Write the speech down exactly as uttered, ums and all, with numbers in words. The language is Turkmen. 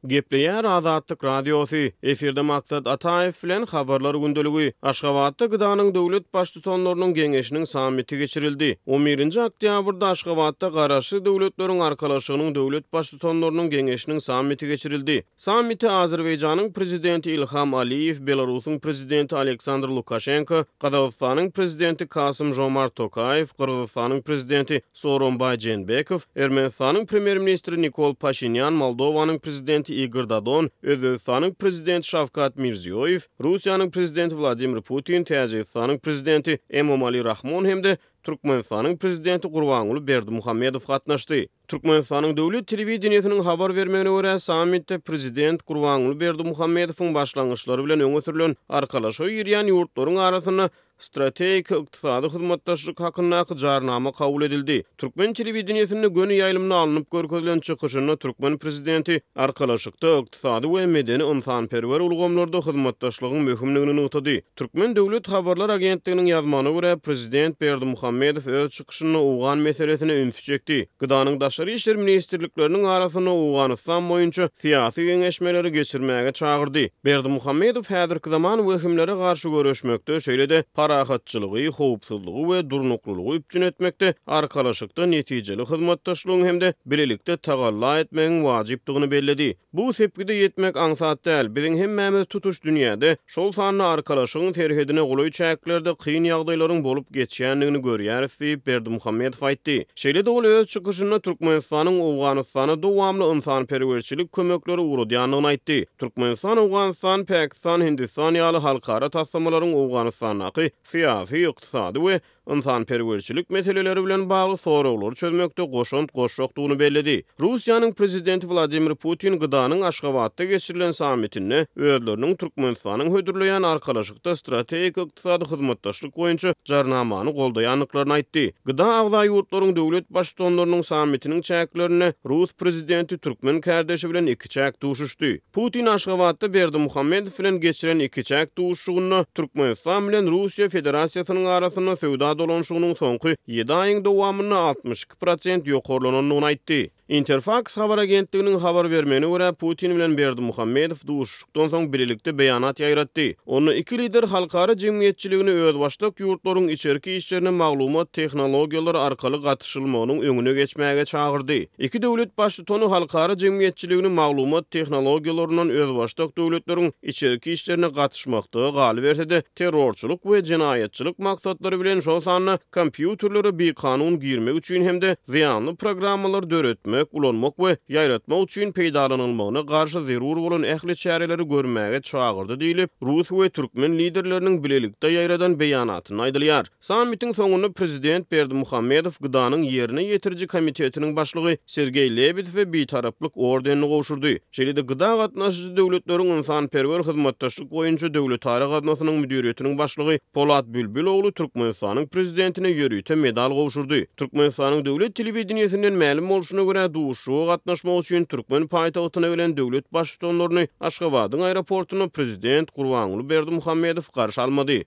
Gepleýär Azatlyk Radiosy, efirde Maksat Ataýew bilen Habarlar gündeligi. Aşgabatda G D A-nyň döwlet baştutanlarynyň geňeşiniň sammiti geçirildi. On birinji oktýabrda Aşgabatda Garaşsyz Döwletleriň Arkalaşygynyň döwlet baştutanlarynyň geňeşiniň sammiti geçirildi. Sammite Azerbaýjanyň prezidenti Ilham Aliýew, Belarusyň prezidenti Aleksandr Lukaşenko, Gazagystanyň prezidenti Kasym Žomart Tokaýew, Gyrgyzystanyň prezidenti Sooronbaý Jeenbekow, Ermenistanyň premýer-ministri Nikol Paşinýan, Moldowanyň prezidenti Igor Dodon, Özbegistanyň prezidenti Şawkat Mirziýoýew, Russiýanyň prezidenti Wladimir Putin, Täjigistanyň prezidenti Emomali Rahmon hem-de Türkmenistanyň prezidenti Gurbanguly Berdimuhamedow gatnaşdy. Türkmenistanyň döwlet telewideniýesiniň habar bermegine görä, sammitde prezident Gurbanguly Berdimuhamedowyň başlangyçlary bilen öňe sürlen arkalaşyga girýän ýurtlaryň arasynda strategik ykdysady hyzmatdaşlyk hakyndaky jarnama kabul edildi. Türkmen telewideniýesinde göni ýaýlymda alnyp görkezilen çykyşynda türkmen prezidenti arkalaşykda ykdysady we medeni ynsanperwer ulgamlarda hyzmatdaşlygyň möhümligini nygtady. Türkmen döwlet habarlar agentliginiň ýazmagyna görä, prezident Berdimuhamedow öz çykyşynda owgan meselesine ünsi çekdi. G D A-nyň daşary işler ministrlikleriniň arasynda Owganystan boýunça syýasy geňeşmeleri geçirmäge çagyrdy. Berdimuhamedow häzirki zaman wehimlere garşy göreşmekde, şeýle-de parahatçylygy, howpsuzlygy we durnuklylygy üpjün etmekde arkalaşykda netijeli hyzmatdaşlygyň hem-de bilelikde tagalla etmegiň wajypdygyny belledi. Bu sepgide ýetmek aňsat däl. Biziň hemmämiz tutuş dünýäde, şol sanda arkalaşygyň serhedine golaý çäklerde kyn ýagdaýlaryň bolup geçýändigini görýäris diýip Berdimuhamedow aýtdy. Şeýle-de ol öz çykyşynda Türkmenistanyň Owganystana dowamly ynsanperwerçilik kömekleri ugradýandygyny aýtdy. Türkmenistan, Owganystan, Pakistan, Hindistan ýaly halkara taslamalaryň Owganystandaky syýasy, ykdysady we ynsanperwerçilik meseleleri bilen bagly soraglary çözmekde goşant goşjakdygyny belledi. Russiýanyň prezidenti Wladimir Putin G D A-nyň Aşgabatda geçirilen sammitinde özleriniň Türkmenistanyň hödürleýän arkalaşykda strategik ykdysady hyzmatdaşlyk boýunça jarnamany goldaýandyklaryny aýtdy. G D A agza ýurtlaryň döwlet baştutanlarynyň sammitiniň çäklerinde Rus prezidenti türkmen kärdeşi bilen ikiçäk duşuşdy. Putin Aşgabatda Berdimuhamedow bilen geçiren ikiçäk duşuşygynda Türkmenistan bilen Russiýa Federasiýasynyň arasynda söwda dolanyşygynyň soňky ýedi aýyň dowamynda altmyş iki prosent ýokarlanandygyny aýtdy. Interfaks habar agentliginiň habar bermegine görä, Putin bilen Berdimuhamedow duşuşykdan soň bilelikde beýanat ýaýratdy. Onda iki lider halkara jemgyýetçiligini özbaşdak ýurtlaryň içerki işlerine maglumat tehnologiýalary arkaly gatyşylmagynyň öňüne geçmäge çagyrdy. Iki döwlet baştutany halkara jemgyýetçiligini maglumat tehnologiýalaryndan özbaşdak döwletleriň içerki işlerine gatyşmakda galyberse-de terrorçylyk we jenaýatçylyk maksatlary bilen, şol sanda kompýuterlere bikanun girmek üçin hem-de zyýanly programmalary döretmek, ulanmak we ýaýratmak üçin peýdalanylmagyna garşy zerur bolan ähli çäreleri görmäge çagyrdy diýlip, rus we türkmen liderleriniň bilelikde ýaýradan beýanatynda aýdylýar. Sammitiň soňunda prezident Berdimuhamedow G D A-nyň ýerine ýetiriji komitetiniň başlygy Sergeý Lebedewe Bitaraplyk ordenini gowşurdy. Şeýle-de G D A gatnaşyjy döwletleriň ynsanperwer hyzmatdaşlyk boýunça döwletara gaznasynyň müdiriýetiniň başlygy Polat Bülbüloğlu Türkmenistanyň prezidentine ýörite medal gowşurdy. Türkmenistanyň döwlet telewideniýesinden mälim bolşuna görä, duşuşyga gatnaşmak üçin türkmen paýtagtyna gelen döwlet baştutanlaryny Aşgabadyň aeroportunda prezident Gurbanguly Berdimuhamedow garşy almady.